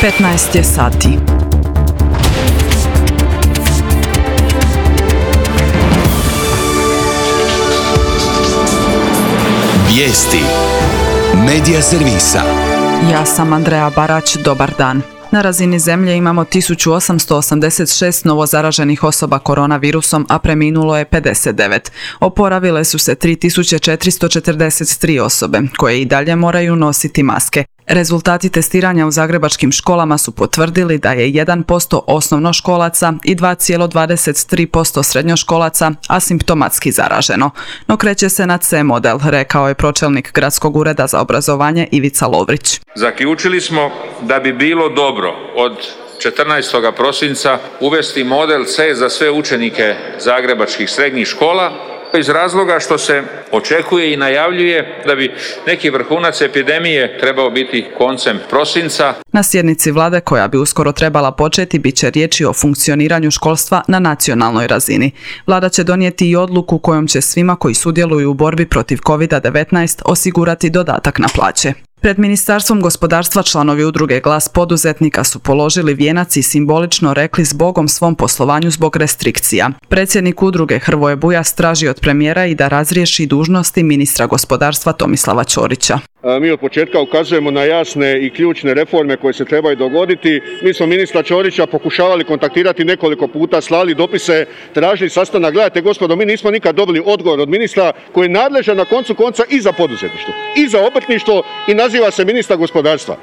15 je sati. Vijesti Medija servisa. Ja sam Andreja Barać, dobar dan. Na razini zemlje imamo 1886 novozaraženih osoba koronavirusom, a preminulo je 59. Oporavile su se 3443 osobe, koje i dalje moraju nositi maske. Rezultati testiranja u zagrebačkim školama su potvrdili da je 1% osnovnoškolaca i 2,23% srednjoškolaca asimptomatski zaraženo. No kreće se na C model, rekao je pročelnik Gradskog ureda za obrazovanje Ivica Lovrić. Zaključili smo da bi bilo dobro od 14. prosinca uvesti model C za sve učenike zagrebačkih srednjih škola, iz razloga što se očekuje i najavljuje da bi neki vrhunac epidemije trebao biti koncem prosinca. Na sjednici vlade, koja bi uskoro trebala početi, bit će riječi o funkcioniranju školstva na nacionalnoj razini. Vlada će donijeti i odluku kojom će svima koji sudjeluju u borbi protiv COVID-19 osigurati dodatak na plaće. Pred Ministarstvom gospodarstva članovi udruge Glas poduzetnika su položili vijenac i simbolično rekli zbogom svom poslovanju zbog restrikcija. Predsjednik udruge Hrvoje Bujas traži od premijera i da razriješi dužnosti ministra gospodarstva Tomislava Ćorića. Mi od početka ukazujemo na jasne i ključne reforme koje se trebaju dogoditi. Mi smo ministra Ćorića pokušavali kontaktirati nekoliko puta, slali dopise, tražili sastanak. Gledajte gospodo, mi nismo nikad dobili odgovor od ministra koji je nadležan na koncu konca i za poduzetništvo, i za obrtništvo i naziva se ministar gospodarstva.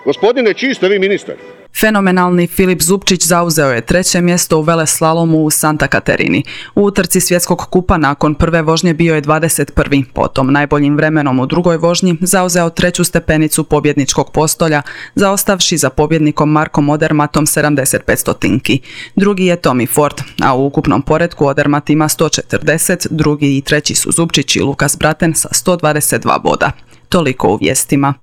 Gospodine, čiji ste vi ministar? Fenomenalni Filip Zupčić zauzeo je 3. mjesto u veleslalomu u Santa Katerini. U utrci svjetskog kupa nakon prve vožnje bio je 21. Potom najboljim vremenom u drugoj vožnji zauzeo 3. stepenicu pobjedničkog postolja, zaostavši za pobjednikom Markom Odermatom 75 stotinki. Drugi je Tommy Ford, a u ukupnom poretku Odermat ima 140, drugi i treći su Zupčić i Lukas Braten sa 122 boda. Toliko u vijestima.